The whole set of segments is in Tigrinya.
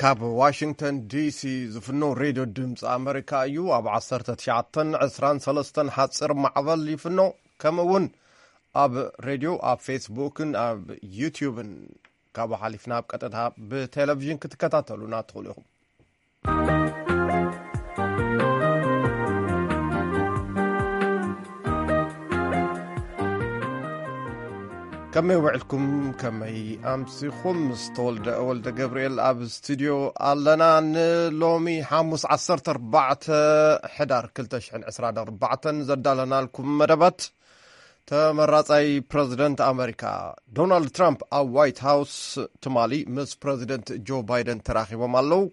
ካብ ዋሽንግተን ዲሲ ዝፍኖ ሬድዮ ድምፂ ኣመሪካ እዩ። ኣብ ዓሰርተ ትሽዓተን ዕስራን ሰለስተን ሓፂር ማዕበል ይፍኖ። ከምኡ እውን ኣብ ሬድዮ፣ ኣብ ፌስቡክን ኣብ ዩትዩብን ካብኡ ሓሊፍና ኣብ ቀጥታ ብቴሌቪዥን ክትከታተሉና ትኽእሉ ኢኹም። ከመይ ውዕልኩም? ከመይ ኣምሲኹም? ምስ ተወልደ ወልደ ገብርኤል ኣብ ስቱድዮ ኣለና። ንሎሚ ሓሙስ ዓሰርተ ኣርባዕተ ሕዳር ክልተ ሽሕን ዕስራን ኣርባዕተን ዘዳለናልኩም መደባት፣ ተመራጻይ ፕረዚደንት ኣመሪካ ዶናልድ ትራምፕ ኣብ ዋይት ሃውስ ትማሊ ምስ ፕረዚደንት ጆ ባይደን ተራኺቦም ኣለዉ።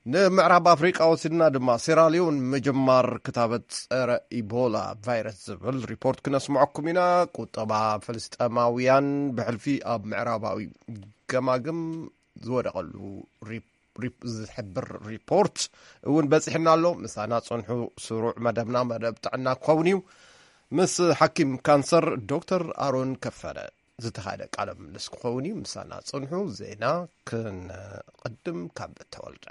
ንምዕራብ ኣፍሪቃ ወሲድና ድማ፣ ሴራሊዮን ምጅማር ክታበት ጸረ ኢቦላ ቫይረስ ዝብል ሪፖርት ክነስምዐኩም ኢና። ቁጠባ ፍልስጤማውያን ብሕልፊ ኣብ ምዕራባዊ ገማግም ዝወደቐሉ ሪፕ-፣ ሪፕ-፣ ዝሕብር ሪፖርት እውን በጺሕና ኣሎ። ምሳና ጽንሑ። ስሩዕ መደብና መደብ ጥዕና ክኸውን እዩ። ምስ ሓኪም ካንሰር ዶክተር ኣሮን ከፈለ ዝተኻየደ ቃለ ምልልስ ክኸውን እዩ። ምሳና ጽንሑ። ዜና ክንቕድም ካብ ተወልደ።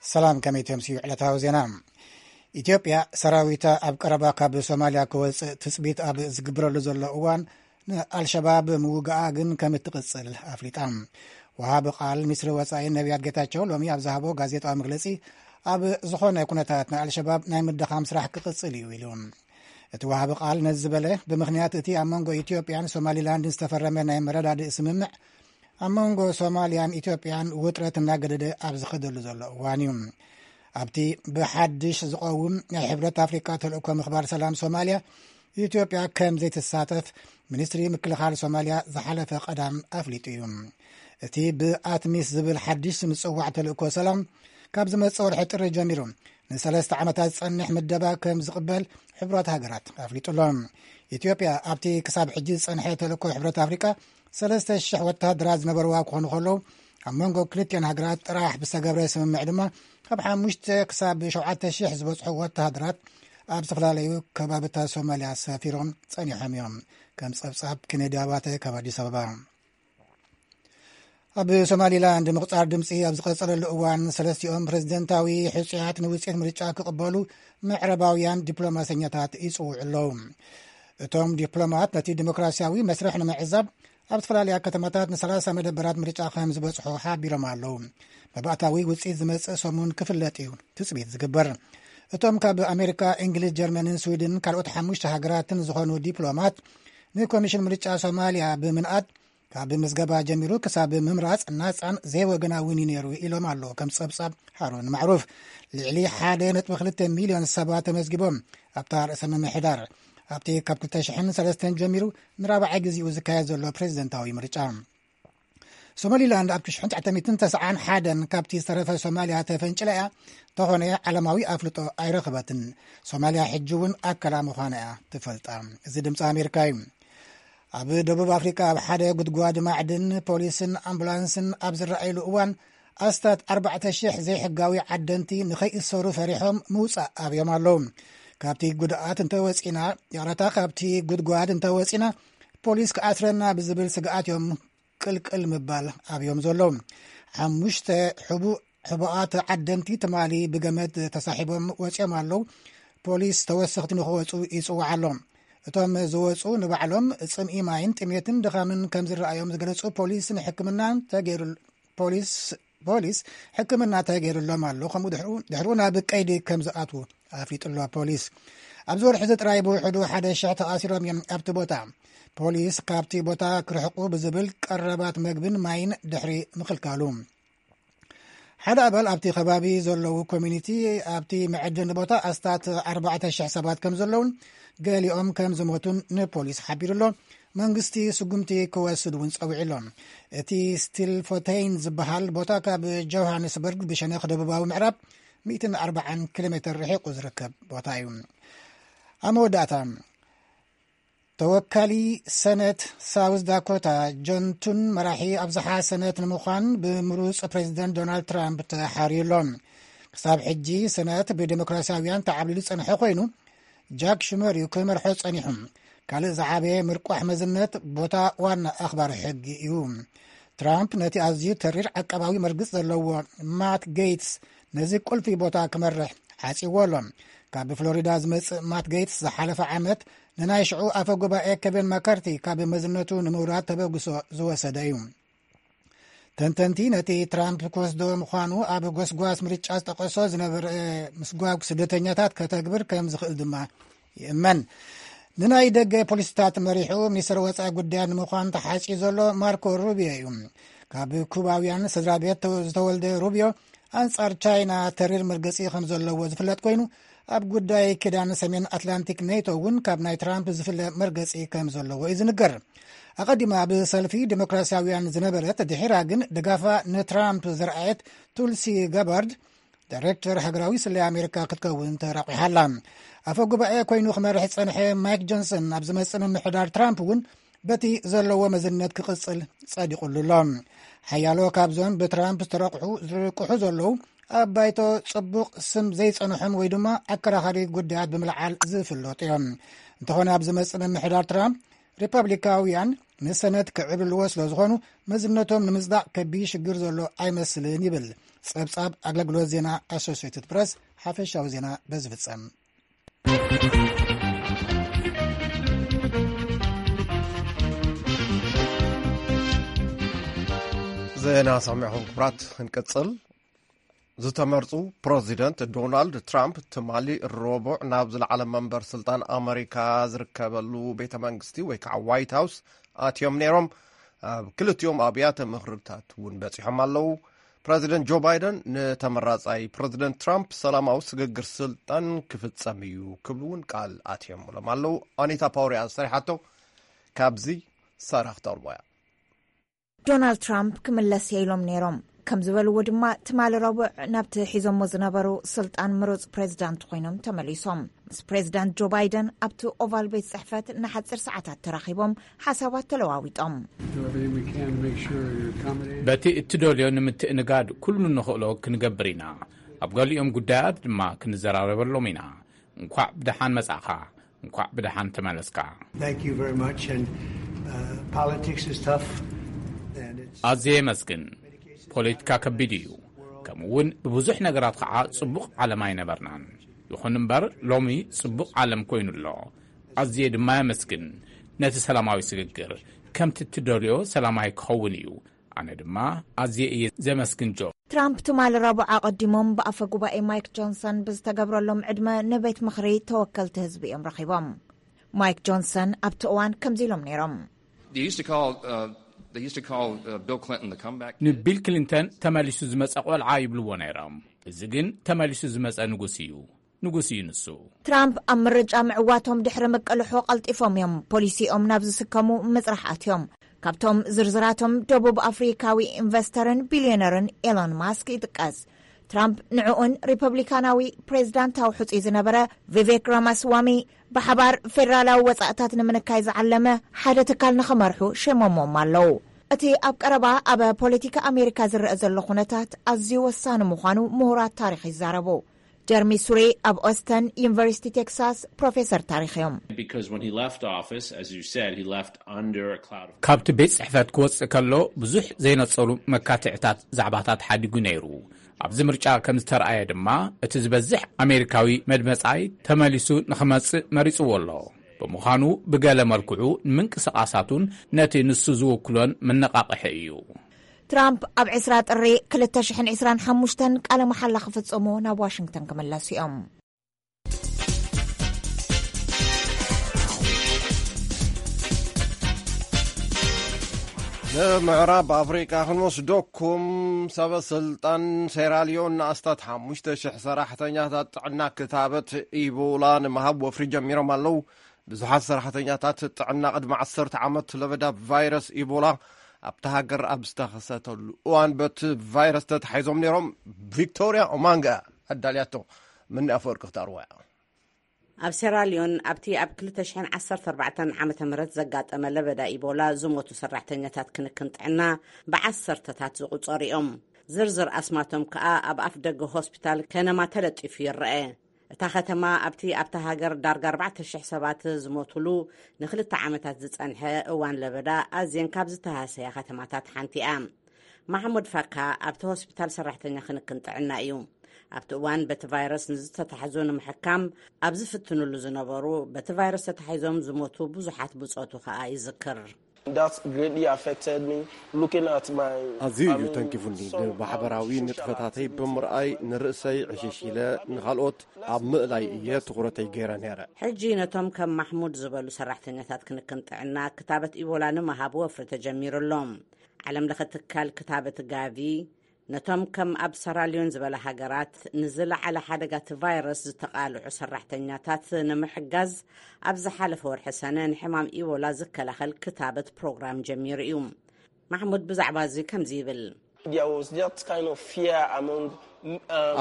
ሰላም፣ ከመይ ተምስዩ ዕለታዊ ዜና። ኢትዮጵያ ሰራዊታ ኣብ ቀረባ ካብ ሶማልያ ክወጽእ ትጽቢት ኣብ ዝግብረሉ ዘሎ እዋን፣ ንኣልሸባብ ምውጋኣ ግን ከም እትቕጽል ኣፍሊጣ። ወሃቢ ቃል ሚኒስትሪ ወጻኢ ነቢያት ጌታቸው ሎሚ ኣብ ዝሃቦ ጋዜጣዊ መግለጺ፣ ኣብ ዝኾነ ኩነታት ንኣልሸባብ ናይ ምድኻም ስራሕ ክቕጽል እዩ ኢሉ። እቲ ወሃቢ ቃል ነዚ ዝበለ፣ ብምኽንያት እቲ ኣብ መንጎ ኢትዮጵያን ሶማሊላንድን ዝተፈረመ ናይ መረዳድእ ስምምዕ፣ ኣብ መንጎ ሶማልያን ኢትዮጵያን ውጥረት እናገደደ ኣብ ዝኸደሉ ዘሎ እዋን እዩ። ኣብቲ ብሓድሽ ዝቐውም ናይ ሕብረት ኣፍሪካ ተልእኮ ምኽባር ሰላም ሶማልያ፣ ኢትዮጵያ ከም ዘይትሳተፍ ሚኒስትሪ ምክልኻል ሶማልያ ዝሓለፈ ቀዳም ኣፍሊጡ እዩ። እቲ ብኣትሚስ ዝብል ሓድሽ ዝጽዋዕ ተልእኮ ሰላም፣ ካብ ዝመጽእ ወርሒ ጥሪ ጀሚሩ ንሰለስተ ዓመታት ዝጸንሕ ምደባ ከም ዝቕበል ሕቡራት ሃገራት ኣፍሊጡ ኣሎ። ኢትዮጵያ ኣብቲ ክሳብ ሕጂ ዝጸንሐ ተልእኮ ሕብረት ኣፍሪቃ ሰለስተ ሽሕ ወተሃደራት ዝነበርዋ ክኾኑ ከለዉ፣ ኣብ መንጎ ክልቲኦን ሃገራት ጥራሕ ብዝተገብረ ስምምዕ ድማ ካብ ሓሙሽተ ክሳብ ሸውዓተ ሽሕ ዝበጽሑ ወተሃደራት ኣብ ዝተፈላለዩ ከባብታት ሶማልያ ሰፊሮም ጸኒሖም እዮም። ከም ጸብጻብ ኬኔዲ ኣባተ ካብ ኣዲስ ኣበባ። ኣብ ሶማሊላንድ ምቕጻር ድምጺ ኣብ ዝቐጸለሉ እዋን፣ ሰለስቲኦም ፕረዚደንታዊ ሕጹያት ንውጽኢት ምርጫ ክቕበሉ ምዕራባውያን ዲፕሎማሰኛታት ይጽውዑ ኣለዉ። እቶም ዲፕሎማት ነቲ ዲሞክራሲያዊ መስርሕ ንምዕዛብ ኣብ ዝተፈላለያ ከተማታት ንሰላሳ መደበራት ምርጫ ከም ዝበጽሑ ሓቢሮም ኣለዉ። መባእታዊ ውጽኢት ዝመጽእ ሰሙን ክፍለጥ እዩ ትጽቢት ዝግበር። እቶም ካብ ኣሜሪካ፣ እንግሊዝ፣ ጀርመንን ስዊድን ካልኦት ሓሙሽተ ሃገራትን ዝኾኑ ዲፕሎማት፣ ንኮሚሽን ምርጫ ሶማልያ ብምንኣድ፣ ካብ ምዝገባ ጀሚሩ ክሳብ ምምራጽ ናጻን ዘይወገናውን እዩ ነይሩ ኢሎም ኣለዉ። ከም ጸብጻብ ሃሩን ማዕሩፍ፣ ልዕሊ ሓደ ነጥቢ ክልተ ሚልዮን ሰባት ተመዝጊቦም ኣብታ ርእሰ ምምሕዳር፣ ኣብቲ ካብ ክልተ ሽሕን ሰለስተን ጀሚሩ ንራብዓይ ግዜኡ ዝካየድ ዘሎ ፕሬዚደንታዊ ምርጫ። ሶማሊላንድ ኣብ ሽሕን ትሽዓተ ሚእትን ተስዓን ሓደን ካብቲ ዝተረፈ ሶማልያ ተፈንጭላ እያ፣ ተኾነ ዓለማዊ ኣፍልጦ ኣይረኸበትን። ሶማልያ ሕጂ እውን ኣካላ ምዃና እያ ትፈልጣ። እዚ ድምፂ ኣሜሪካ እዩ። ኣብ ደቡብ ኣፍሪካ ኣብ ሓደ ጉድጓድ ማዕድን ፖሊስን ኣምቡላንስን ኣብ ዝረኣየሉ እዋን፣ ኣስታት ኣርባዕተ ሽሕ ዘይሕጋዊ ዓደንቲ ንኸይእሰሩ ፈሪሖም ምውፃእ ኣብዮም ኣለዉ። ካብቲ ጉድኣት እንተወፂና፣ ይቕረታ፣ ካብቲ ጉድጓድ እንተወፂና ፖሊስ ክኣስረና ብዝብል ስግኣት እዮም ቅልቅል ምባል ኣብዮም ዘለዉ። ሓሙሽተ ሕቡእ ሕቡኣት ዓደንቲ ትማሊ ብገመድ ተሳሒቦም ወፂኦም ኣለዉ። ፖሊስ ተወሰኽቲ ንኽወፁ ይፅውዓ ኣሎ። እቶም ዝወፁ ንባዕሎም ፅምኢ ማይን ጥሜትን ድኻምን ከም ዝረኣዮም ዝገለፁ ፖሊስ ንሕክምና ተገይሩ-፣ ፖሊስ፣ ፖሊስ ሕክምና ተገይሩሎም ኣሎ። ከምኡ ድሕሩ፣ ድሕሩ ናብ ቀይዲ ከም ዝኣትዉ ኣፍሊጡ ኣሎ ፖሊስ። ኣብዚ ወርሒ እዚ ጥራይ ብውሕዱ ሓደ ሽሕ ተኣሲሮም እዮም ኣብቲ ቦታ። ፖሊስ ካብቲ ቦታ ክርሕቁ ብዝብል ቀረባት መግብን ማይን ድሕሪ ምኽልካሉ። ሓደ ኣባል ኣብቲ ከባቢ ዘለዉ ኮሚኒቲ፣ ኣብቲ መዐደኒ ቦታ ኣስታት ኣርባዕተ ሽሕ ሰባት ከም ዘለዉን ገሊኦም ከም ዝሞቱን ንፖሊስ ሓቢሩ ኣሎ። መንግስቲ ስጉምቲ ክወስድ እውን ጸዊዑ ኣሎ። እቲ ስቲልፎቴይን ዝበሃል ቦታ ካብ ጆሃንስበርግ ብሸነኽ ደቡባዊ ምዕራብ ሚእትን ኣርባዓን ኪሎ ሜትር ርሒቑ ዝርከብ ቦታ እዩ። ኣብ መወዳእታ፣ ተወካሊ ሰነት ሳውዝ ዳኮታ ጆን ቱን መራሒ ኣብዝሓ ሰነት ንምዃን ብምሩፅ ፕሬዚደንት ዶናልድ ትራምፕ ተሓርዩ ኣሎ። ክሳብ ሕጂ ሰነት ብዴሞክራሲያውያን ተዓብሊሉ ዝጸንሐ ኮይኑ፣ ጃክ ሹመር እዩ ክመርሖ ጸኒሑ። ካልእ ዝዓበየ ምርቋሕ መዝነት ቦታ ዋና ኣኽባሪ ሕጊ እዩ። ትራምፕ ነቲ ኣዝዩ ተሪር ዓቃባዊ መርግጽ ዘለዎ ማት ጌትስ ነዚ ቁልፊ ቦታ ክመርሕ ሓጺዎ ኣሎ። ካብ ፍሎሪዳ ዝመጽእ ማት ጌትስ ዝሓለፈ ዓመት ንናይ ሽዑ ኣፈ ጉባኤ ኬቨን ማካርቲ ካብ መዝነቱ ንምውራድ ተበግሶ ዝወሰደ እዩ። ተንተንቲ ነቲ ትራምፕ ክወስዶ ምዃኑ ኣብ ጎስጓስ ምርጫ ዝጠቀሶ ዝነበረ ምስጓግ ስደተኛታት ከተግብር ከም ዝኽእል ድማ ይእመን። ንናይ ደገ ፖሊሲታት መሪሑ ሚኒስትር ወፃኢ ጉዳያት ንምዃን ተሓፂ ዘሎ ማርኮ ሩቢዮ እዩ። ካብ ኩባውያን ስድራ ቤት ዝተወልደ ሩቢዮ ኣንጻር ቻይና ተሪር መርገጺ ከም ዘለዎ ዝፍለጥ ኮይኑ፣ ኣብ ጉዳይ ኪዳን ሰሜን ኣትላንቲክ ኔቶ እውን ካብ ናይ ትራምፕ ዝፍለ መርገጺ ከም ዘለዎ እዩ ዝንገር። ኣቐዲማ ኣብ ሰልፊ ዲሞክራሲያውያን ዝነበረት ድሒራ ግን ድጋፋ ንትራምፕ ዘርኣየት ቱልሲ ጋባርድ ዳይሬክተር ሃገራዊ ስለያ ኣሜሪካ ክትከውን ተራቂሓ ኣላ። ኣፈ ጉባኤ ኮይኑ ክመርሕ ዝጸንሐ ማይክ ጆንሰን ኣብ ዝመጽእ ምምሕዳር ትራምፕ እውን በቲ ዘለዎ መዝነት ክቕጽል ጸዲቑሉ ኣሎ። ሓያሎ ካብዞም ብትራምፕ ዝተረቑሑ ዝርቅሑ ዘለዉ ኣብ ባይቶ ጽቡቕ ስም ዘይጸንሖም ወይ ድማ ኣከራኻሪ ጉዳያት ብምልዓል ዝፍለጡ እዮም። እንተኾነ ኣብ ዝመጽእ ምምሕዳር ትራምፕ ሪፐብሊካውያን ንሰነት ክዕብልዎ ስለ ዝኾኑ መዝነቶም ንምጽዳቕ ከቢድ ሽግር ዘሎ ኣይመስልን ይብል ጸብጻብ ኣገልግሎት ዜና ኣሶሲየትድ ፕረስ። ሓፈሻዊ ዜና በዚ ፍጸም። ዜና ሰሚዕኹም ክቡራት፣ ክንቅጽል። ዝተመርጹ ፕረዚደንት ዶናልድ ትራምፕ ትማሊ ረቡዕ ናብ ዝለዓለ መንበር ስልጣን ኣመሪካ ዝርከበሉ ቤተ መንግስቲ ወይ ከዓ ዋይት ሃውስ ኣትዮም ነይሮም። ኣብ ክልቲኦም ኣብያተ ምኽርታት እውን በጺሖም ኣለዉ። ፕረዚደንት ጆ ባይደን ንተመራጻይ ፕረዚደንት ትራምፕ ሰላማዊ ስግግር ስልጣን ክፍጸም እዩ ክብሉ እውን ቃል ኣትዮምሎም ኣለዉ። ኣኒታ ፓውሪያ ዝሰሪሓቶ ካብዚ ሳራ ክተቕርቦ እያ። ዶናልድ ትራምፕ ክምለስ እየ ኢሎም ነይሮም። ከም ዝበልዎ ድማ ትማሊ ረቡዕ ናብቲ ሒዞሞ ዝነበሩ ስልጣን ምሩጽ ፕሬዚዳንት ኮይኖም ተመሊሶም። ምስ ፕሬዚዳንት ጆ ባይደን ኣብቲ ኦቫል ቤት ጽሕፈት ንሓጺር ሰዓታት ተራኺቦም ሓሳባት ተለዋዊጦም። በቲ እትደልዮ ንምትእንጋድ ኩሉ ንኽእሎ ክንገብር ኢና። ኣብ ገሊኦም ጉዳያት ድማ ክንዘራረበሎም ኢና። እንኳዕ ብደሓን መጻእኻ፣ እንኳዕ ብደሓን ተመለስካ። ኣዝየ የመስግን። ፖለቲካ ከቢድ እዩ፣ ከምኡ እውን ብብዙሕ ነገራት ከዓ ጽቡቕ ዓለም ኣይነበርናን። ይኹን እምበር ሎሚ ጽቡቕ ዓለም ኮይኑ ኣሎ። ኣዝየ ድማ የመስግን። ነቲ ሰላማዊ ስግግር ከምቲ እትደልዮ ሰላማዊ ክኸውን እዩ። ኣነ ድማ ኣዝየ እየ ዘመስግን ጆ። ትራምፕ ትማሊ ረቡዕ ኣቐዲሞም ብኣፈ ጉባኤ ማይክ ጆንሰን ብዝተገብረሎም ዕድመ ንቤት ምኽሪ ተወከልቲ ህዝቢ እዮም ረኺቦም። ማይክ ጆንሰን ኣብቲ እዋን ከምዚ ኢሎም ነይሮም። ንቢል ክሊንተን ተመሊሱ ዝመጸ ቆልዓ ይብልዎ ነይሮም። እዚ ግን ተመሊሱ ዝመጸ ንጉስ እዩ። ንጉስ እዩ ንሱ። ትራምፕ ኣብ ምርጫ ምዕዋቶም ድሕሪ ምቅልሖ ቀልጢፎም እዮም ፖሊሲኦም ናብ ዝስከሙ ምጽራሕ ኣትዮም። ካብቶም ዝርዝራቶም ደቡብ ኣፍሪካዊ ኢንቨስተርን ቢልዮነርን ኤሎን ማስክ ይጥቀስ። ትራምፕ ንዕኡን ሪፐብሊካናዊ ፕሬዚዳንታዊ ሕጹይ ዝነበረ ቪቬክ ራማስዋሚ ብሓባር ፌደራላዊ ወጻእታት ንምንካይ ዝዓለመ ሓደ ትካል ንኽመርሑ ሸሞሞም ኣለዉ። እቲ ኣብ ቀረባ ኣብ ፖለቲካ ኣሜሪካ ዝረአ ዘሎ ኩነታት ኣዝዩ ወሳኒ ምዃኑ ምሁራት ታሪኽ ይዛረቡ። ጀርሚ ሱሬ ኣብ ኦስተን ዩኒቨርሲቲ ቴክሳስ ፕሮፌሰር ታሪኽ እዮም። ካብቲ ቤት ጽሕፈት ክወጽእ ከሎ ብዙሕ ዘይነጸሩ መካትዕታት ዛዕባታት ሓዲጉ ነይሩ። ኣብዚ ምርጫ ከም ዝተረኣየ ድማ እቲ ዝበዝሕ ኣሜሪካዊ መድመጻይ ተመሊሱ ንኽመጽእ መሪጽዎ ኣሎ። ብምዃኑ ብገለ መልክዑ ንምንቅስቓሳቱን ነቲ ንሱ ዝውክሎን መነቓቕሒ እዩ። ትራምፕ ኣብ ዕስራ ጥሪ ክልተ ሽሕን ዕስራን ሓሙሽተን ቃለ መሓላ ክፍጽሙ ናብ ዋሽንግተን ክምለሱ እዮም። ንምዕራብ ኣፍሪቃ ክንወስደኩም፣ ሰበ ስልጣን ሴራሊዮን ንኣስታት ሓሙሽተ ሽሕ ሰራሕተኛታት ጥዕና ክታበት ኢቦላ ንምሃብ ወፍሪ ጀሚሮም ኣለዉ። ብዙሓት ሰራሕተኛታት ጥዕና ቅድሚ ዓሰርተ ዓመት ለበዳ ቫይረስ ኢቦላ ኣብታ ሃገር ኣብ ዝተኸሰተሉ እዋን በቲ ቫይረስ ተታሒዞም ነይሮም። ቪክቶርያ ኦማንጋ ኣዳልያቶ፣ ምኒ ኣፈወርቂ ክተቕርቦ እያ። ኣብ ሴራሊዮን ኣብቲ ኣብ ክልተ ሽሕን ዓሰርተ ኣርባዕተን ዓመተ ምህረት ዘጋጠመ ለበዳ ኢቦላ ዝሞቱ ሰራሕተኛታት ክንክን ጥዕና ብዓሰርተታት ዝቑጸሩ እዮም። ዝርዝር ኣስማቶም ከኣ ኣብ ኣፍ ደገ ሆስፒታል ከነማ ተለጢፉ ይረአ። እታ ከተማ ኣብቲ ኣብታ ሃገር ዳርጋ ኣርባዕተ ሽሕ ሰባት ዝሞቱሉ ንክልተ ዓመታት ዝጸንሐ እዋን ለበዳ ኣዝየን ካብ ዝተሃሰያ ከተማታት ሓንቲ እያ። ማሕሙድ ፋካ ኣብቲ ሆስፒታል ሰራሕተኛ ክንክን ጥዕና እዩ። ኣብቲ እዋን በቲ ቫይረስ ንዝተታሕዙ ንምሕካም ኣብ ዝፍትኑሉ ዝነበሩ፣ በቲ ቫይረስ ተታሒዞም ዝሞቱ ብዙሓት ብጾቱ ከኣ ይዝክር። That greatly affected me, looking at my ኣዝዩ እዩ ተንኪፉኒ። ንማሕበራዊ ንጥፈታተይ ብምርኣይ ንርእሰይ ዕሽሽ ኢለ፣ ንኻልኦት ኣብ ምእላይ እየ ትኹረተይ ገይረ ነይረ። ሕጂ ነቶም ከም ማሕሙድ ዝበሉ ሰራሕተኛታት ክንክን ጥዕና ክታበት ኢቦላ ንምሃብ ወፍሪ ተጀሚሩ ኣሎ። ዓለም ለኸ ትካል ክታበት ጋቪ ነቶም ከም ኣብ ሰራልዮን ዝበላ ሃገራት ንዝለዓለ ሓደጋ እቲ ቫይረስ ዝተቓልዑ ሰራሕተኛታት ንምሕጋዝ፣ ኣብ ዝሓለፈ ወርሒ ሰነ ንሕማም ኢቦላ ዝከላኸል ክታበት ፕሮግራም ጀሚሩ እዩ። ማሕሙድ ብዛዕባ እዚ ከምዚ ይብል። There was that kind of fear among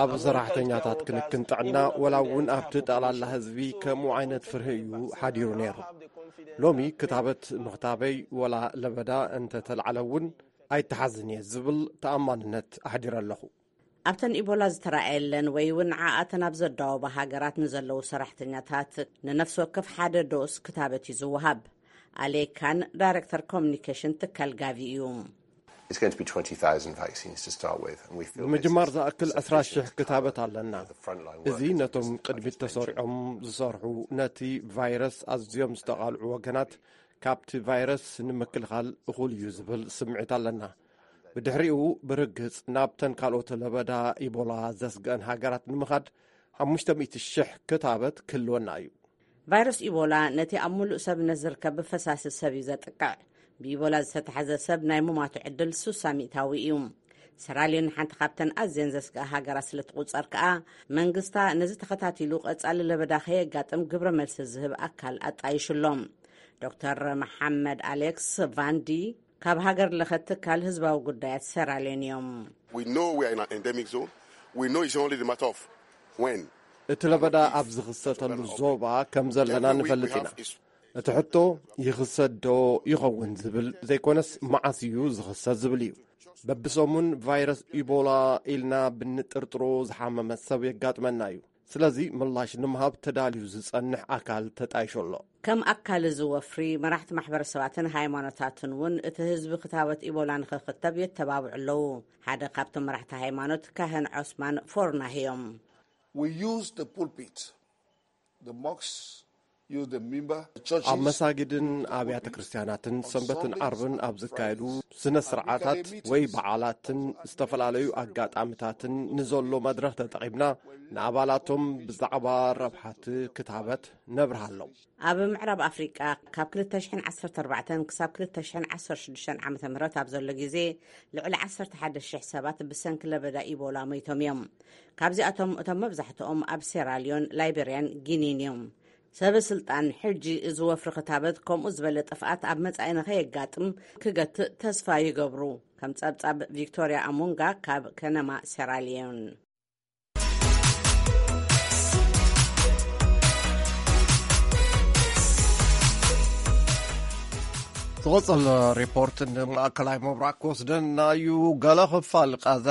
ኣብ ሰራሕተኛታት ክንክን ጥዕና ወላ እውን ኣብቲ ጠቕላላ ህዝቢ ከምኡ ዓይነት ፍርሂ እዩ ሓዲሩ ነይሩ። ሎሚ ክታበት ምኽታበይ ወላ ለበዳ እንተተላዕለ እውን ኣይተሓዝን እየ ዝብል ተኣማንነት ኣሕዲረ ኣለኹ። ኣብተን ኢቦላ ዝተረኣየለን ወይ እውን ንዓኣተን ኣብ ዘዳወባ ሃገራት ንዘለዉ ሰራሕተኛታት ንነፍሲ ወከፍ ሓደ ዶስ ክታበት እዩ ዝወሃብ። ኣሌካን ዳይሬክተር ኮሚኒኬሽን ትካል ጋቪ እዩ። It's going to be twenty thousand vaccines to start with, and we feel this ንምጅማር is ዝኣክል ዕስራ ሽሕ ክታበት ኣለና። እዚ ነቶም ቅድሚት ተሰሪዖም ዝሰርሑ፣ ነቲ ቫይረስ ኣዝዮም ዝተቓልዑ ወገናት ካብቲ ቫይረስ ንምክልኻል እኹል እዩ ዝብል ስምዒት ኣለና። ብድሕሪኡ ብርግጽ ናብተን ካልኦት ለበዳ ኢቦላ ዘስግአን ሃገራት ንምኻድ ሓሙሽተ ሚእቲ ሽሕ ክታበት ክህልወና እዩ። ቫይረስ ኢቦላ ነቲ ኣብ ሙሉእ ሰብነት ዝርከብ ብፈሳሲ ሰብ እዩ ዘጥቅዕ። ብኢቦላ ዝተታሕዘ ሰብ ናይ ምማቱ ዕድል ሱሳ ሚእታዊ እዩ። ሰራልዮን ሓንቲ ካብተን ኣዝየን ዘስግኣ ሃገራት ስለ ትቑጸር ከኣ፣ መንግስታ ነዚ ተኸታቲሉ ቀጻሊ ለበዳ ከየጋጥም ግብረ መልሲ ዝህብ ኣካል ኣጣይሹ ኣሎ። ዶክተር መሓመድ ኣሌክስ ቫንዲ ካብ ሃገር ለኸ ትካል ህዝባዊ ጉዳያት ሰራልዮን እዮም። We know we are in an endemic zone. We know it's only the matter of when. እቲ ለበዳ ኣብ ዝኽሰተሉ ዞባ ከም ዘለና ንፈልጥ ኢና። እቲ ሕቶ ይኽሰት ዶ ይኸውን ዝብል ዘይኮነስ፣ መዓስ እዩ ዝኽሰት ዝብል እዩ። በብሰሙን ቫይረስ ኢቦላ ኢልና ብንጥርጥሮ ዝሓመመ ሰብ የጋጥመና እዩ። ስለዚ ምላሽ ንምሃብ ተዳልዩ ዝጸንሕ ኣካል ተጣይሹ ኣሎ። ከም ኣካል እዚ ወፍሪ፣ መራሕቲ ማሕበረሰባትን ሃይማኖታትን እውን እቲ ህዝቢ ክታበት ኢቦላ ንኽኽተብ የተባብዑ ኣለዉ። ሓደ ካብቶም መራሕቲ ሃይማኖት ካህን ዖስማን ፎርናህ እዮም። We use the pulpit, the mosques, use the minbar, the ኣብ churches. መሳጊድን ኣብያተ ክርስቲያናትን ሰንበትን ዓርብን ኣብ ዝካየዱ ስነ ስርዓታት ወይ በዓላትን ዝተፈላለዩ ኣጋጣሚታትን ንዘሎ መድረኽ ተጠቒምና ንኣባላቶም ብዛዕባ ረብሓቲ ክታበት ነብርሃሎም። ኣብ ምዕራብ ኣፍሪቃ ካብ ክልተ ሽሕን ዓሰርተ ኣርባዕተን ክሳብ ክልተ ሽሕን ዓሰርተ ሽዱሽተን ዓመተ ምህረት ኣብ ዘሎ ግዜ ልዕሊ ዓሰርተ ሓደ ሽሕ ሰባት ብሰንኪ ለበዳ ኢቦላ ሞይቶም እዮም። ካብዚኣቶም እቶም መብዛሕትኦም ኣብ ሴራልዮን፣ ላይቤርያን ጊኒን እዮም። ሰበ ስልጣን ሕጂ እዚ ወፍሪ ክታበት ከምኡ ዝበለ ጥፍኣት ኣብ መጻኢ ንኸየጋጥም ክገትእ ተስፋ ይገብሩ። ከም ጸብጻብ ቪክቶርያ ኣሙንጋ ካብ ከነማ ሴራልዮን። ዝቐጸል ሪፖርት ንማእከላይ ምብራቕ ክወስደና እዩ። ገለ ክፋል ቃዛ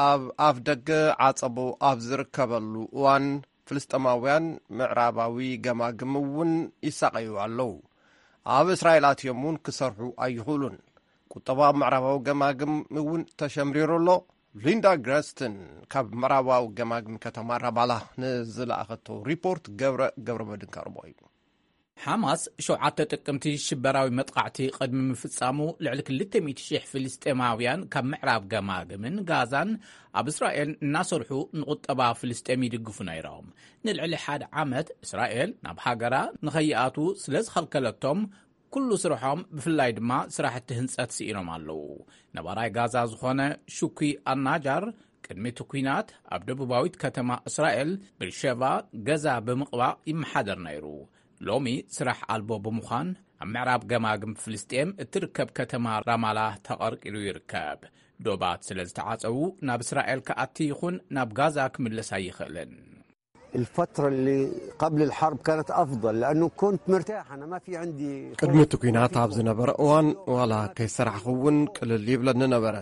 ኣብ ኣፍ ደገ ዓጸቦ ኣብ ዝርከበሉ እዋን፣ ፍልስጤማውያን ምዕራባዊ ገማግም እውን ይሳቐዩ ኣለዉ። ኣብ እስራኤል ኣትዮም እውን ክሰርሑ ኣይኽእሉን። ቁጠባ ኣብ ምዕራባዊ ገማግም እውን ተሸምሪሩ ኣሎ። ሊንዳ ግረስትን ካብ ምዕራባዊ ገማግም ከተማ ራማላ ንዝለኣኸቶ ሪፖርት ገብረ ገብረ መድን ከቕርቦ እዩ። ሓማስ ሸውዓተ ጥቅምቲ ሽበራዊ መጥቓዕቲ ቅድሚ ምፍጻሙ፣ ልዕሊ ክልተ ሚእቲ ሽሕ ፍልስጤማውያን ካብ ምዕራብ ገማግምን ጋዛን ኣብ እስራኤል እናሰርሑ ንቁጠባ ፍልስጤም ይድግፉ ነይሮም። ንልዕሊ ሓደ ዓመት እስራኤል ናብ ሃገራ ንኸይኣትዉ ስለ ዝኸልከለቶም፣ ኩሉ ስርሖም፣ ብፍላይ ድማ ስራሕቲ ህንጸት ስኢኖም ኣለዉ። ነባራይ ጋዛ ዝኾነ ሹኩይ ኣናጃር፣ ቅድሚ እቲ ኲናት ኣብ ደቡባዊት ከተማ እስራኤል ብርሸቫ ገዛ ብምቕባእ ይመሓደር ነይሩ። ሎሚ ስራሕ ኣልቦ ብምዃን፣ ኣብ ምዕራብ ገማግም ፍልስጤም እትርከብ ከተማ ራማላ ተቐርቂሩ ይርከብ። ዶባት ስለ ዝተዓጸዉ፣ ናብ እስራኤል ክኣቲ ይኹን ናብ ጋዛ ክምለስ ኣይኽእልን። الفترة اللي قبل الحرب كانت أفضل، لأنه كنت مرتاح، أنا ما في عندي ቅድሚ እቲ ኲናት ኣብ ዝነበረ እዋን፣ ዋላ ከይሰራሕኹ እውን ቅልል ይብለኒ ነበረ።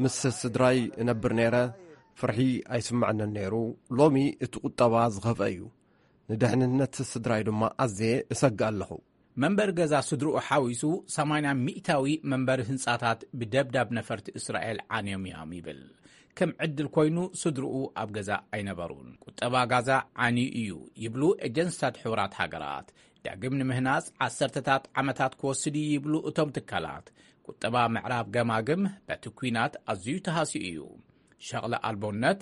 ምስ ስድራይ እነብር ነይረ። ፍርሒ ኣይስምዐንን ነይሩ። ሎሚ እቲ ቁጠባ ዝኸፍአ እዩ። ንድሕንነት ስድራይ ድማ ኣዝየ እሰግእ ኣለኹ። መንበሪ ገዛ ስድርኡ ሓዊሱ ሰማንያ ሚእታዊ መንበሪ ህንጻታት ብደብዳብ ነፈርቲ እስራኤል ዓንዮም እዮም ይብል። ከም ዕድል ኮይኑ ስድርኡ ኣብ ገዛ ኣይነበሩን። ቁጠባ ጋዛ ዓንዩ እዩ ይብሉ ኤጀንስታት ሕቡራት ሃገራት። ዳግም ንምህናጽ ዓሰርተታት ዓመታት ክወስድ እዩ ይብሉ እቶም ትካላት። ቁጠባ ምዕራብ ገማግም በቲ ኲናት ኣዝዩ ተሃስዩ እዩ። ሸቕለ ኣልቦነት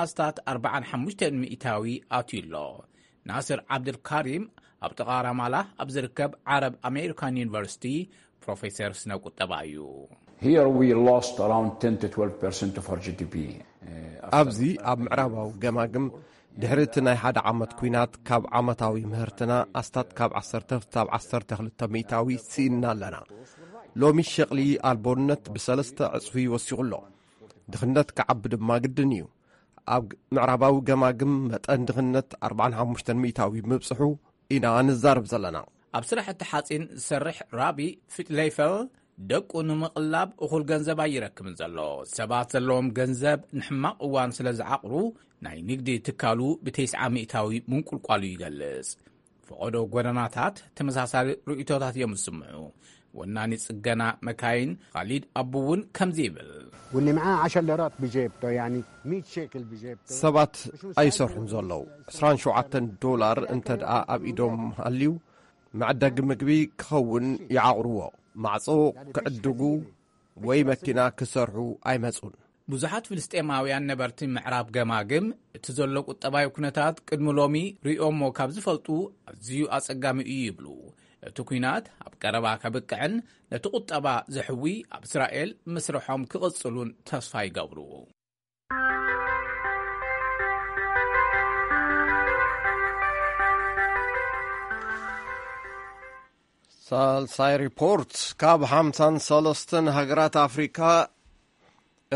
ኣስታት ኣርባዓን ሓሙሽተን ሚእታዊ ኣትዩ ኣሎ። ናስር ዓብድልካሪም ኣብ ጥቓ ራማላ ኣብ ዝርከብ ዓረብ ኣሜሪካን ዩኒቨርሲቲ ፕሮፌሰር ስነ ቁጠባ እዩ። Here we lost around ten to twelve percent of our G D P. ኣብዚ ኣብ ምዕራባዊ ገማግም ድሕሪ እቲ ናይ ሓደ ዓመት ኲናት ካብ ዓመታዊ ምህርትና ኣስታት ካብ ዓሰርተ ክሳብ ዓሰርተ ክልተ ሚእታዊ ስኢንና ኣለና። ሎሚ ሸቕሊ ኣልቦነት ብሰለስተ ዕጽፊ ወሲኹ ኣሎ። ድኽነት ክዓቢ ድማ ግድን እዩ። ኣብ ምዕራባዊ ገማግም መጠን ድኽነት ኣርባዓን ሓሙሽተን ሚእታዊ ምብጽሑ ኢና ንዛረብ ዘለና። ኣብ ስራሕቲ ሓጺን ዝሰርሕ ራቢ ፊትሌይፈል ደቁ ንምቕላብ እኹል ገንዘብ ኣይረክብን ዘሎ። ሰባት ዘለዎም ገንዘብ ንሕማቕ እዋን ስለ ዝዓቕሩ ናይ ንግዲ ትካሉ ብተስዓ ሚእታዊ ምንቁልቋሉ ይገልጽ። ፈቐዶ ጎደናታት ተመሳሳሊ ርእይቶታት እዮም ዝስምዑ። ወናኒ ጽገና መካይን ኻሊድ ኣቡ እውን ከምዚ ይብል። واللي معاه عشر ليرات بجيبته يعني مية شيكل بجيبته. ሰባት ኣይሰርሑን ዘለዉ። ዕስራን ሸውዓተን ዶላር እንተ ደኣ ኣብ ኢዶም ሃልዩ መዕደጊ ምግቢ ክኸውን ይዓቕርዎ። ማዕጾ ክዕድጉ ወይ መኪና ክሰርሑ ኣይመጹን። ብዙሓት ፍልስጤማውያን ነበርቲ ምዕራብ ገማግም እቲ ዘሎ ቁጠባዊ ኩነታት ቅድሚ ሎሚ ርእዮሞ ካብ ዝፈልጡ ኣዝዩ ኣጸጋሚ እዩ ይብሉ። እቲ ኲናት ኣብ ቀረባ ከብቅዕን ነቲ ቁጠባ ዘሕዊ ኣብ እስራኤል ምስርሖም ክቕጽሉን ተስፋ ይገብሩ። ሳልሳይ ሪፖርት። ካብ ሓምሳን ሰለስተን ሃገራት ኣፍሪካ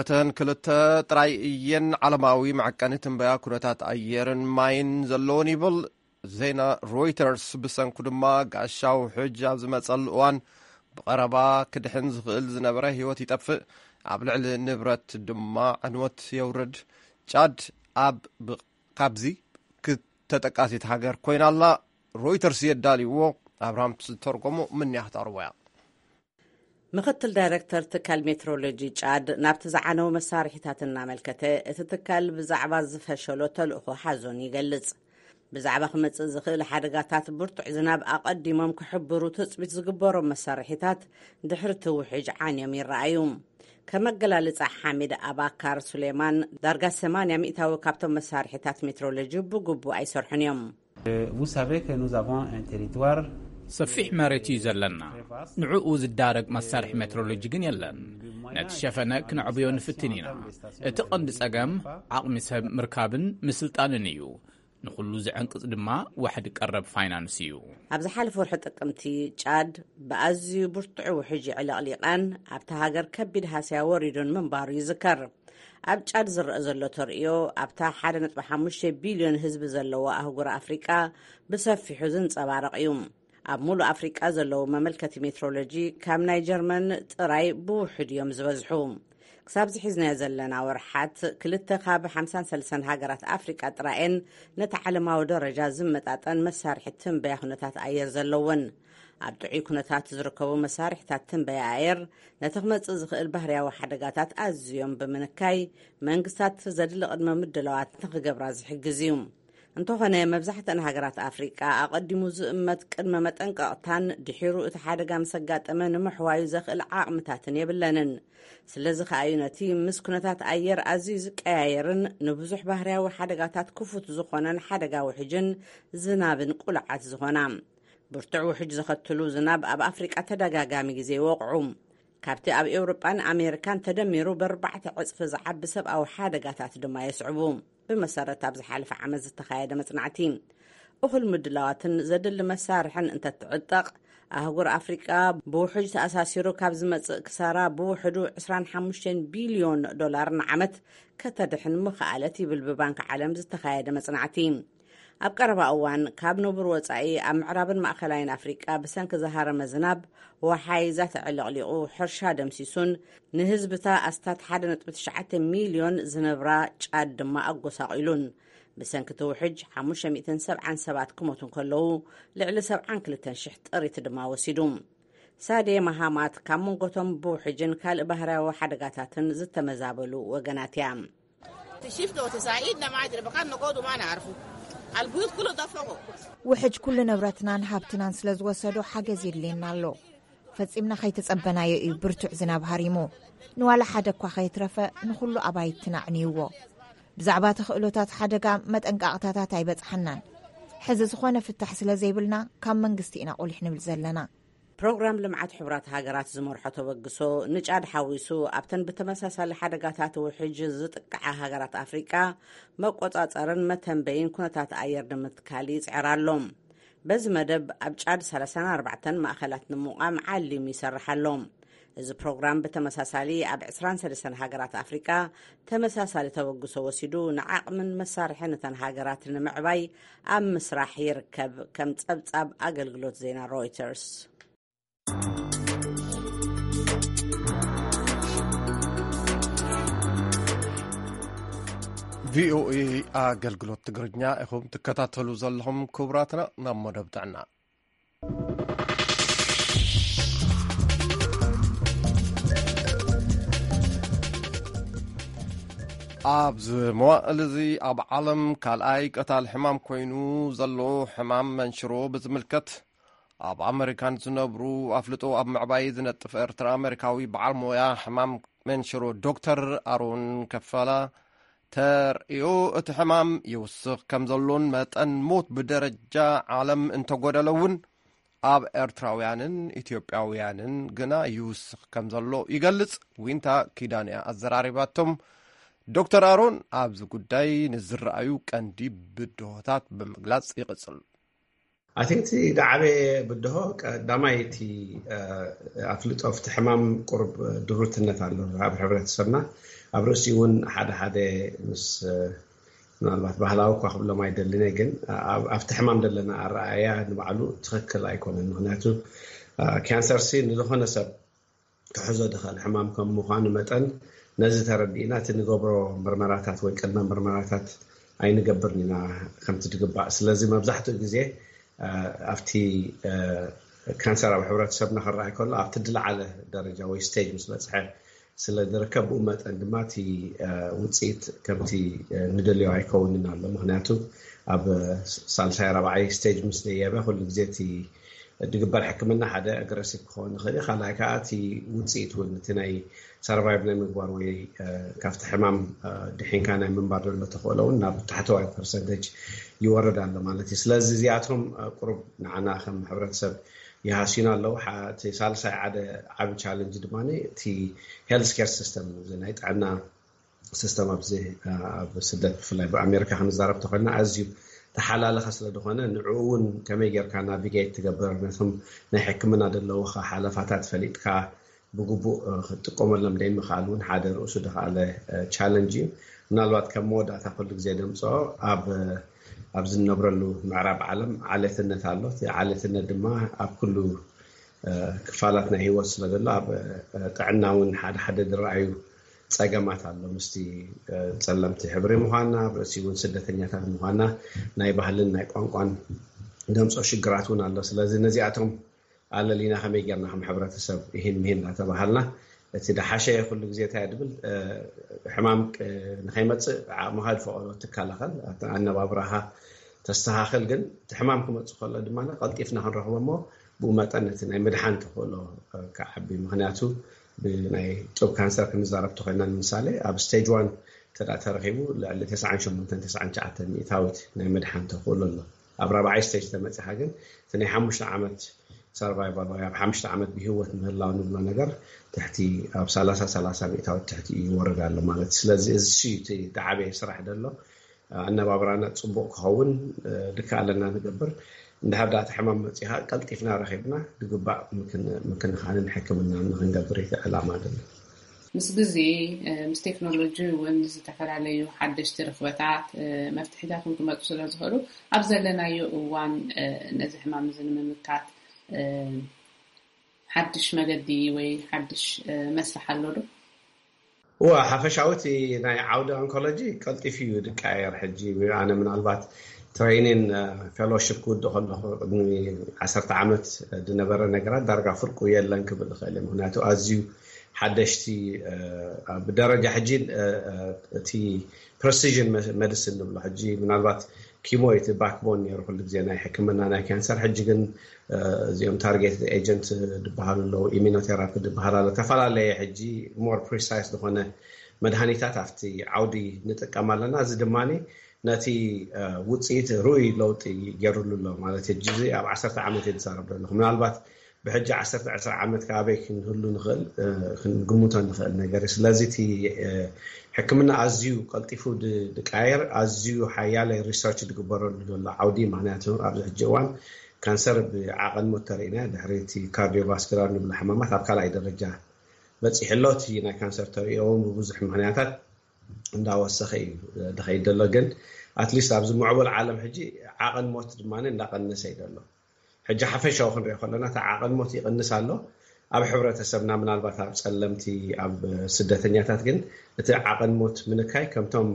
እተን ክልተ ጥራይ እየን ዓለማዊ መዐቀኒ ትንበያ ኩነታት ኣየርን ማይን ዘለዎን ይብል ዜና ሮይተርስ። ብሰንኩ ድማ ጋሻ ውሕጅ ኣብ ዝመጸሉ እዋን ብቐረባ ክድሕን ዝኽእል ዝነበረ ህይወት ይጠፍእ፣ ኣብ ልዕሊ ንብረት ድማ ዕንወት የውርድ። ጫድ ኣብ ብ- ካብዚ ተጠቃሲት ሃገር ኮይና ኣላ። ሮይተርስ የዳልይዎ ኣብርሃም ዝተርጎሞ ምንያ ክተቕርቦ እያ። ምኽትል ዳይረክተር ትካል ሜትሮሎጂ ጫድ ናብቲ ዝዓነው መሳርሒታት እናመልከተ፣ እቲ ትካል ብዛዕባ ዝፈሸሎ ተልእኾ ሓዞን ይገልጽ። ብዛዕባ ክመጽእ ዝኽእል ሓደጋታት ብርቱዕ ዝናብ ኣቐዲሞም ክሕብሩ ትጽቢት ዝግበሮም መሳርሒታት ድሕሪ እቲ ውሕጅ ዓንዮም ይረኣዩ። ከመገላልጻ ሓሚድ ኣባካር ሱሌማን ዳርጋ ሰማንያ ሚእታዊ ካብቶም መሳርሒታት ሜትሮሎጂ ብግቡእ ኣይሰርሑን እዮም። Vous savez que nous avons un territoire ሰፊሕ መሬት እዩ ዘለና። ንዕኡ ዝዳረግ መሳርሒ ሜትሮሎጂ ግን የለን። ነቲ ሸፈነ ክነዕብዮ ንፍትን ኢና። እቲ ቀንዲ ጸገም ዓቕሚ ሰብ ምርካብን ምስልጣንን እዩ። ንኹሉ ዝዕንቅጽ ድማ ዋሕዲ ቀረብ ፋይናንስ እዩ። ኣብ ዝሓለፈ ወርሒ ጥቅምቲ ጫድ ብኣዝዩ ብርቱዕ ውሕጅ ዕለቕሊቓን ኣብታ ሃገር ከቢድ ሃስያ ወሪዱን ምንባሩ ይዝከር። ኣብ ጫድ ዝረአ ዘሎ ተርእዮ ኣብታ ሓደ ነጥቢ ሓሙሽተ ቢልዮን ህዝቢ ዘለዎ ኣህጉር ኣፍሪቃ ብሰፊሑ ዝንጸባረቕ እዩ። ኣብ ሙሉእ ኣፍሪቃ ዘለዉ መመልከቲ ሜትሮሎጂ ካብ ናይ ጀርመን ጥራይ ብውሑድ እዮም ዝበዝሑ። ክሳብ ዝሒዝናዮ ዘለና ወርሓት ክልተ ካብ ሓምሳን ሰለስተን ሃገራት ኣፍሪቃ ጥራየን ነቲ ዓለማዊ ደረጃ ዝመጣጠን መሳርሒ ትንበያ ኩነታት ኣየር ዘለወን። ኣብ ጥዑይ ኩነታት ዝርከቡ መሳርሒታት ትንበያ ኣየር ነቲ ክመጽእ ዝኽእል ባህርያዊ ሓደጋታት ኣዝዮም ብምንካይ መንግስታት ዘድሊ ቅድመ ምድላዋት ንኽገብራ ዝሕግዝ እዩ። እንተኾነ መብዛሕትአን ሃገራት ኣፍሪቃ ኣቐዲሙ ዝእመት ቅድመ መጠንቀቕታን ድሒሩ እቲ ሓደጋ ምስ ኣጋጠመ ንምሕዋዩ ዘኽእል ዓቕምታትን የብለንን። ስለዚ ከኣዩ ነቲ ምስ ኩነታት ኣየር ኣዝዩ ዝቀያየርን ንብዙሕ ባህርያዊ ሓደጋታት ክፉት ዝኾነን ሓደጋ ውሕጅን ዝናብን ቁሉዓት ዝኾና። ብርቱዕ ውሕጅ ዘኸትሉ ዝናብ ኣብ ኣፍሪቃ ተደጋጋሚ ግዜ ይወቕዑ። ካብቲ ኣብ ኤውሮጳን ኣሜሪካን ተደሚሩ ብኣርባዕተ ዕጽፊ ዝዓቢ ሰብኣዊ ሓደጋታት ድማ የስዕቡ። ብመሰረት ኣብ ዝሓለፈ ዓመት ዝተኻየደ መጽናዕቲ እኹል ምድላዋትን ዘድሊ መሳርሕን እንተትዕጠቕ ኣህጉር ኣፍሪቃ ብውሕጅ ተኣሳሲሩ ካብ ዝመጽእ ክሳራ ብውሕዱ ዕስራን ሓሙሽተን ቢልዮን ዶላር ንዓመት ከተድሕን ምኽኣለት ይብል ብባንክ ዓለም ዝተኻየደ መጽናዕቲ። ኣብ ቀረባ እዋን ካብ ንቡር ወጻኢ ኣብ ምዕራብን ማእከላይን ኣፍሪቃ ብሰንኪ ዝሃረመ ዝናብ ወሓይዛ ተዕለቕሊቑ፣ ሕርሻ ደምሲሱን ንህዝብታ ኣስታት ሓደ ነጥቢ ትሽዓተ ሚልዮን ዝነብራ ጫድ ድማ ኣጎሳቒሉን። ብሰንኪ እቲ ውሕጅ ሓሙሽተ ሚእትን ሰብዓን ሰባት ክሞቱ እንከለዉ፣ ልዕሊ ሰብዓን ክልተን ሽሕ ጥሪት ድማ ወሲዱ። ሳዴ መሃማት ካብ መንጎቶም ብውሕጅን ካልእ ባህርያዊ ሓደጋታትን ዝተመዛበሉ ወገናት እያ። ውሕጅ ኩሉ ንብረትናን ሃብትናን ስለ ዝወሰዶ ሓገዝ የድልየና ኣሎ። ፈጺምና ከይተጸበናዮ እዩ ብርቱዕ ዝናብ ሃሪሙ። ንዋላ ሓደ እኳ ከየትረፈ ንኹሉ ኣባይትና ኣዕንይዎ። ብዛዕባ ተኽእሎታት ሓደጋ መጠንቃቕታታት ኣይበጽሓናን። ሕዚ ዝኾነ ፍታሕ ስለ ዘይብልና ካብ መንግስቲ ኢና ቁሊሕ ንብል ዘለና። ፕሮግራም ልምዓት ሕቡራት ሃገራት ዝመርሖ ተበግሶ ንጫድ ሓዊሱ ኣብተን ብተመሳሳሊ ሓደጋታት ውሕጅ ዝጥቅዓ ሃገራት ኣፍሪቃ መቆጻጸርን መተንበይን ኩነታት ኣየር ንምትካል ይጽዕር ኣሎ። በዚ መደብ ኣብ ጫድ ሰላሳን ኣርባዕተን ማእኸላት ንምቋም ዓሊሙ ይሰርሕ ኣሎ። እዚ ፕሮግራም ብተመሳሳሊ ኣብ ዕስራን ሰለስተን ሃገራት ኣፍሪቃ ተመሳሳሊ ተበግሶ ወሲዱ ንዓቕምን መሳርሕን እተን ሃገራት ንምዕባይ ኣብ ምስራሕ ይርከብ። ከም ጸብጻብ ኣገልግሎት ዜና ሮይተርስ። ቪኦኤ ኣገልግሎት ትግርኛ ኢኹም ትከታተሉ ዘለኹም። ክቡራትና፣ ናብ መደብ ጥዕና። ኣብዚ መዋእል እዚ ኣብ ዓለም ካልኣይ ቀታል ሕማም ኮይኑ ዘሎ ሕማም መንሽሮ ብዝምልከት፣ ኣብ ኣመሪካ ንዝነብሩ ኣፍልጦ ኣብ ምዕባይ ዝነጥፍ ኤርትራ ኣመሪካዊ በዓል ሞያ ሕማም መንሽሮ ዶክተር ኣሮን ከፋላ፣ ተርእዮ እቲ ሕማም ይውስኽ ከም ዘሎን መጠን ሞት ብደረጃ ዓለም እንተጎደለ እውን ኣብ ኤርትራውያንን ኢትዮጵያውያንን ግና ይውስኽ ከም ዘሎ ይገልጽ። ዊንታ ኪዳንያ ኣዘራሪባቶም። ዶክተር ኣሮን ኣብዚ ጉዳይ ንዝረኣዩ ቀንዲ ብድሆታት ብምግላጽ ይቕጽል። ኣቲ እቲ ዝዓበየ ብድሆ ቀዳማይ እቲ ኣፍልጦ ኣብቲ ሕማም ቁሩብ ድሩትነት ኣሎ ኣብ ሕብረተሰብና። ኣብ ርእሲ እውን ሓደ ሓደ ምስ ምናልባት ባህላዊ እኳ ክብሎም ኣይደልን እየ፣ ግን ኣብቲ ሕማም ዘለና ኣረኣያ ንባዕሉ ትኽክል ኣይኮነን። ምክንያቱ ካንሰር ሲ ንዝኾነ ሰብ ክሕዞ ዝኽእል ሕማም ከም ምዃኑ መጠን ነዚ ተረዲእና እቲ ንገብሮ ምርመራታት ወይ ቅድመ ምርመራታት ኣይንገብርን ኢና ከምቲ ዝግባእ። ስለዚ መብዛሕትኡ ግዜ ኣብቲ ካንሰር ኣብ ሕብረተሰብና ክረኣይ ከሎ ኣብቲ ዝለዓለ ደረጃ ወይ ስቴጅ ምስ በፅሐ ስለ ዝርከብ፣ ብኡ መጠን ድማ እቲ ውፅኢት ከምቲ ንደልዮ ኣይከውንን ኣሎ። ምክንያቱ ኣብ ሳልሳይ ራብዓይ ስቴጅ ምስ ደየበ ኩሉ ግዜ እቲ ዝግበር ሕክምና ሓደ ኣግረሲቭ ክኸውን ይኽእል እዩ። ካልኣይ ከዓ እቲ ውፅኢት እውን እቲ ናይ ሰርቫይቭ ናይ ምግባር ወይ ካብቲ ሕማም ድሒንካ ናይ ምንባር ዘሎ ተኽእሎ እውን ናብ ታሕተዋይ ፐርሰንቴጅ ይወርድ ኣሎ ማለት እዩ። ስለዚ እዚኣቶም ቁሩብ ንዓና ከም ሕብረተሰብ ይሃስዩና ኣለዉ። እቲ ሳልሳይ ሓደ ዓቢ ቻለንጅ ድማ እቲ ሄልስ ኬር ሲስተም ናይ ጥዕና ሲስተም ኣብዚ ኣብ ስደት ብፍላይ ብኣሜሪካ ክንዛረብ ተኮይና ኣዝዩ ተሓላለኸ ስለ ዝኾነ ንዕኡ እውን ከመይ ጌርካ ናቪጌት ትገብር ነቶም ናይ ሕክምና ዘለውካ ሓለፋታት ፈሊጥካ ብግቡእ ክትጥቀመሎም ደይምኽኣል እውን ሓደ ርእሱ ዝኸኣለ ቻለንጅ እዩ። ምናልባት ከም መወዳእታ ኩሉ ግዜ ደምፅኦ ኣብ ኣብ ዝነብረሉ ምዕራብ ዓለም ዓሌትነት ኣሎ። እቲ ዓሌትነት ድማ ኣብ ኩሉ ክፋላት ናይ ህይወት ስለ ዘሎ ኣብ ጥዕና እውን ሓደ ሓደ ዝረኣዩ ፀገማት ኣሎ። ምስቲ ፀለምቲ ሕብሪ ምዃንና ኣብ ርእሲ እውን ስደተኛታት ምዃንና ናይ ባህልን ናይ ቋንቋን ደምፆ ሽግራት እውን ኣሎ። ስለዚ ነዚኣቶም ኣለሊና ከመይ ጌርና ከም ሕብረተሰብ ይህን ምሂን እናተባሃልና እቲ ደሓሸ ኩሉ ግዜ እንታይ ድብል ሕማም ንኸይመፅእ ዓቕምኻ ዝፈቐዶ ትከላኸል ኣነባብራኻ ተስተኻኽል። ግን እቲ ሕማም ክመፅእ ከሎ ድማ ቀልጢፍና ክንረኽቦ እሞ ብኡ መጠን እቲ ናይ ምድሓን ተኽእሎ ክዓቢ። ምክንያቱ ብናይ ጡብ ካንሰር ክንዛረብ ተኮይና ንምሳሌ ኣብ ስቴጅ ዋን እንተ ተረኪቡ ልዕሊ ተስዓን ሸሞንተን ተስዓን ትሽዓተን ሚእታዊት ናይ ምድሓን ተኽእሎ ኣሎ። ኣብ ራብዓይ ስቴጅ ተመፂኻ ግን እቲ ናይ ሓሙሽተ ዓመት ሰርቫይቫል ወይ ኣብ ሓሙሽተ ዓመት ብህይወት ምህላው ንብሎ ነገር ትሕቲ ኣብ ሰላሳ ሰላሳ ሚእታዊት ትሕቲ ይወርድ ኣሎ ማለት እዩ። ስለዚ እዚ እቲ ዝዓበየ ስራሕ ዘሎ ኣነባብራና ፅቡቕ ክኸውን ድካ ኣለና ንገብር። እንድሕር ዳኣ እቲ ሕማም መፂኻ ቀልጢፍና ረኺብና ዝግባእ ምክንኻንን ሕክምና ንክንገብር እቲ ዕላማ ደሎ። ምስ ግዜ፣ ምስ ቴክኖሎጂ እውን ዝተፈላለዩ ሓደሽቲ ርኽበታት፣ መፍትሒታት እውን ክመፁ ስለ ዝኽእሉ፣ ኣብ ዘለናዮ እዋን ነዚ ሕማም እዚ ንምምካት ሓድሽ መገዲ ወይ ሓድሽ መስርሕ ኣሎ ዶ? እዋ ሓፈሻዊ እቲ ናይ ዓውዲ ኦንኮሎጂ ቀልጢፉ እዩ ዝቀያየር። ሕጂ ኣነ ምናልባት ትሬኒን ፌሎሺፕ ክውድእ ከለኹ ቅድሚ ዓሰርተ ዓመት ዝነበረ ነገራት ዳርጋ ፍርቁ የለን ክብል እኽእል እየ። ምክንያቱ ኣዝዩ ሓደሽቲ ብደረጃ ሕጂ እቲ ፕረሲዥን መድስን ንብሎ ሕጂ ምናልባት ኪሞ እቲ ባክቦን ነይሩ ኩሉ ግዜ ናይ ሕክምና ናይ ካንሰር። ሕጂ ግን እዚኦም ታርጌት ኤጀንት ዝበሃሉ ኣለዉ፣ ኢሚኖቴራፒ ዝበሃል ኣሎ። ተፈላለየ ሕጂ ሞር ፕሪሳይስ ዝኾነ መድሃኒታት ኣብቲ ዓውዲ ንጥቀም ኣለና። እዚ ድማ ነቲ ውፅኢት ርኡይ ለውጢ ገይሩሉ ኣሎ ማለት እዩ። ሕጂ እዚ ኣብ ዓሰርተ ዓመት እየ ዝዛረብ ዘለኹ። ምናልባት ብሕጂ ዓሰርተ ዕስራ ዓመት ከኣበይ ክንህሉ ንኽእል ክንግምቶ ንኽእል ነገር እዩ። ስለዚ እቲ ሕክምና ኣዝዩ ቀልጢፉ ዝቃየር ኣዝዩ ሓያለ ሪሰርች ዝግበረሉ ዘሎ ዓውዲ። ምክንያቱ ኣብዚ ሕጂ እዋን ካንሰር ብዓቐን ሞት ተርእና ድሕሪ እቲ ካርዲዮቫስኩላር ንብሎ ሕማማት ኣብ ካልኣይ ደረጃ በፂሑ ኣሎ። እቲ ናይ ካንሰር ተርእዮ እውን ብብዙሕ ምክንያታት እንዳወሰኸ እዩ ድኸይድ ዘሎ። ግን ኣትሊስት ኣብዚ ምዕቡል ዓለም ሕጂ ዓቐን ሞት ድማ እንዳቀነሰ እዩ ዘሎ። ሕጂ ሓፈሻዊ ክንሪኦ ከለና እቲ ዓቐን ሞት ይቕንስ ኣሎ። ኣብ ሕብረተሰብና ምናልባት ኣብ ፀለምቲ ኣብ ስደተኛታት ግን እቲ ዓቐን ሞት ምንካይ ከምቶም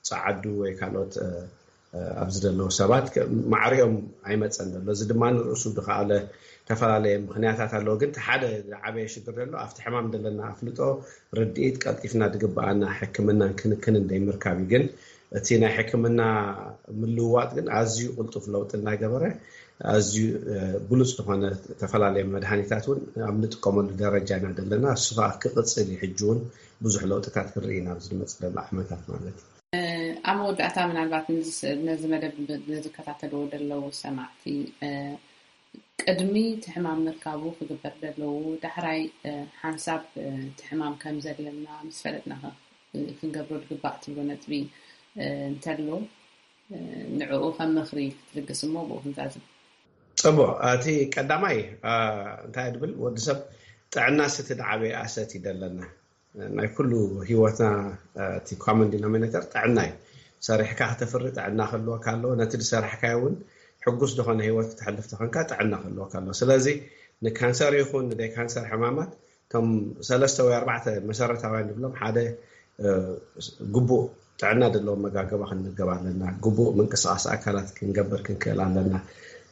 ፀዓዱ ወይ ካልኦት ኣብዚ ዘለዉ ሰባት ማዕሪኦም ኣይመፀን ዘሎ። እዚ ድማ ንርእሱ ዝኸኣለ ዝተፈላለየ ምክንያታት ኣለዎ። ግን ሓደ ዝዓበየ ሽግር ዘሎ ኣብቲ ሕማም ዘለና ኣፍልጦ፣ ርድኢት፣ ቀልጢፍና ዝግበኣና ሕክምናን ክንክንን ዘይምርካብ እዩ። ግን እቲ ናይ ሕክምና ምልውዋጥ ግን ኣዝዩ ቅልጡፍ ለውጢ እናገበረ ኣዝዩ ብሉፅ ዝኾነ ዝተፈላለየ መድሃኒታት እውን ኣብ ንጥቀመሉ ደረጃ ኢና ዘለና። እሱ ከዓ ክቕፅል እዩ። ሕጂ እውን ብዙሕ ለውጥታት ክንርኢ ኢና ኣብዚ ዝመፅእ ዘሎ ዓመታት ማለት እዩ። ኣብ መወዳእታ ምናልባት ነዚ መደብ ንዝከታተልዎ ዘለዉ ሰማዕቲ ቅድሚ እቲ ሕማም ምርካቡ ክግበር ዘለዎ ዳሕራይ ሓንሳብ እቲ ሕማም ከም ዘለና ምስ ፈለጥና ክንገብሮ ዝግባእ ትብሎ ነጥቢ እንተሎ ንዕኡ ከም ምኽሪ ክትልግስ እሞ ብኡ ክንዛዝም። ፅቡቅ። እቲ ቀዳማይ እንታይ ድብል ወዲ ሰብ ጥዕና ስቲ ዝዓበየ ኣሰት ይደለና። ናይ ኩሉ ህይወትና እቲ ኮመን ዲኖሚኔተር ጥዕና እዩ። ሰሪሕካ ክተፍሪ ጥዕና ክህልወካ ኣለዎ። ነቲ ዝሰራሕካዮ እውን ሕጉስ ዝኾነ ህይወት ክተሕልፍ ተኾንካ ጥዕና ክህልወካ ኣለዎ። ስለዚ ንካንሰር ይኹን ንደይ ካንሰር ሕማማት እቶም ሰለስተ ወይ ኣርባዕተ መሰረታውያን ንብሎም ሓደ ግቡእ ጥዕና ዘለዎ መጋገባ ክንምገብ ኣለና። ግቡእ ምንቅስቃስ ኣካላት ክንገብር ክንክእል ኣለና።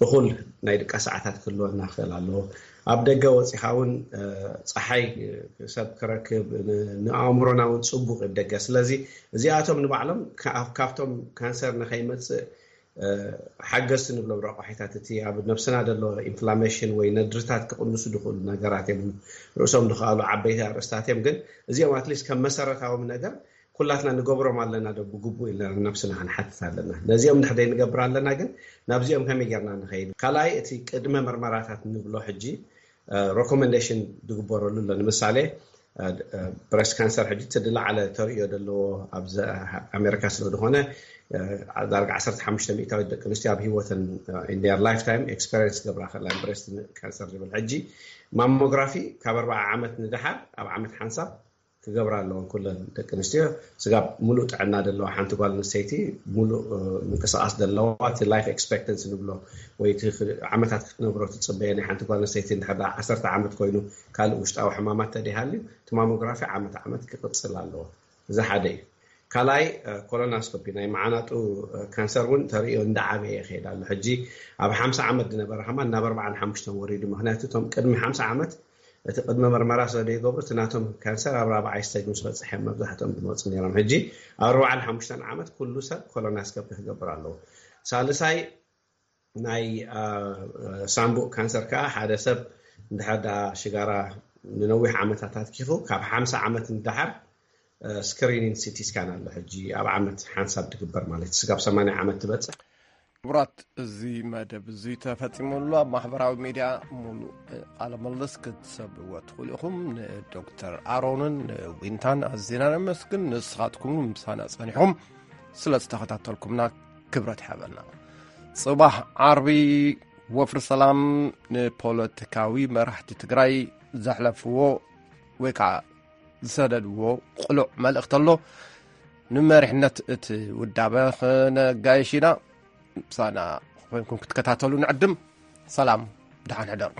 እኹል ናይ ድቃ ሰዓታት ክህልወና ክኽእል ኣለዎ። ኣብ ደገ ወፂኻ እውን ፀሓይ ሰብ ክረክብ ንኣእምሮና እውን ፅቡቅ እዩ ደገ። ስለዚ እዚኣቶም ንባዕሎም ካብቶም ካንሰር ንከይመፅእ ሓገዝቲ ንብሎም ረቋሒታት እቲ ኣብ ነብስና ዘሎ ኢንፍላሜሽን ወይ ነድርታት ክቕንሱ ዝኽእሉ ነገራት እዮም። ርእሶም ዝኸኣሉ ዓበይቲ ኣርእስታት እዮም። ግን እዚኦም ኣትሊስት ከም መሰረታዎም ነገር ኩላትና ንገብሮም ኣለና ዶ ብግቡእ ኢልና ነብስና ክንሓትት ኣለና። ነዚኦም ንሕደይ ንገብር ኣለና ግን ናብዚኦም ከመይ ጌርና ንኸይድ? ካልኣይ እቲ ቅድመ መርመራታት ንብሎ ሕጂ ሮኮመንዴሽን ዝግበረሉ ኣሎ። ንምሳሌ ብረስት ካንሰር ሕጂ እቲ ዝለዓለ ተርእዮ ዘለዎ ኣብዚ ኣሜሪካ ስለ ዝኾነ ዳርጋ ዓሰርተ ሓሙሽተ ሚእታዊት ደቂ ኣንስትዮ ኣብ ህይወተን in their lifetime experience ገብራ ከላ ብረስት ካንሰር ዝብል ሕጂ ማሞግራፊ ካብ ኣርባዓ ዓመት ንደሓር ኣብ ዓመት ሓንሳብ ክገብራ ኣለወን ኩለን ደቂ ኣንስትዮ። ስጋብ ሙሉእ ጥዕና ዘለዋ ሓንቲ ጓል ኣንስተይቲ ሙሉእ ምንቅስቃስ ዘለዋ እቲ ላይፍ ኤክስፔክተንሲ ንብሎ ወይ ዓመታት ክትነብሮ ትፅበየ ናይ ሓንቲ ጓል ኣንስተይቲ እንድሕር ዓሰርተ ዓመት ኮይኑ ካልእ ውሽጣዊ ሕማማት ተደይሃልዩ እቲ ማሞግራፊ ዓመት ዓመት ክቅፅል ኣለዎ። እዚ ሓደ እዩ። ካልኣይ ኮሎናስኮፒ ናይ መዓናጡ ካንሰር እውን ተርእዮ እንዳዓበየ ይኸይድ ኣሎ። ሕጂ ኣብ ሓምሳ ዓመት ዝነበረ ከማ ናብ ኣርባዓን ሓሙሽተን ወሪዱ። ምክንያቱ እቶም ቅድሚ ሓምሳ ዓመት እቲ ቅድመ መርመራ ስለ ዘይገብሩ እቲ ናቶም ካንሰር ኣብ ራብዓይ ስቴጅ ምስ በፅሐ መብዛሕትኦም ዝመፁ ነይሮም። ሕጂ ኣብ ኣርባዓን ሓሙሽተን ዓመት ኩሉ ሰብ ኮሎናስኮፒ ክገብር ኣለዎ። ሳልሳይ ናይ ሳምቡእ ካንሰር ከዓ ሓደ ሰብ እንድሕር ዳ ሽጋራ ንነዊሕ ዓመታት ኣትኪፉ ካብ ሓምሳ ዓመት ንደሓር ስክሪኒን ሲቲ ስካን ኣሎ ሕጂ ኣብ ዓመት ሓንሳብ ትግበር ማለት እዩ። ስጋብ ሰማንያ ዓመት ትበፅሕ። ክቡራት፣ እዚ መደብ እዚ ተፈፂሙ ኣሎ። ኣብ ማሕበራዊ ሚድያ ሙሉእ ቃለ ምልልስ ክትሰምዕዎ ትኽእሉ ኢኹም። ንዶክተር ኣሮንን ንዊንታን ኣዚና ነመስግን። ንስኻትኩም ምሳና ፀኒሕኩም ስለ ዝተኸታተልኩምና ክብረት ይሃበልና። ፅባሕ ዓርቢ ወፍሪ ሰላም ንፖለቲካዊ መራሕቲ ትግራይ ዘሕለፍዎ ወይ ከዓ ዝሰደድዎ ቅሉዕ መልእኽቲ ኣሎ። ንመሪሕነት እቲ ውዳበ ክነጋይሽ ኢና። ምሳና ኮይንኩም ክትከታተሉ ንዕድም። ሰላም፣ ደሓን ሕደሩ።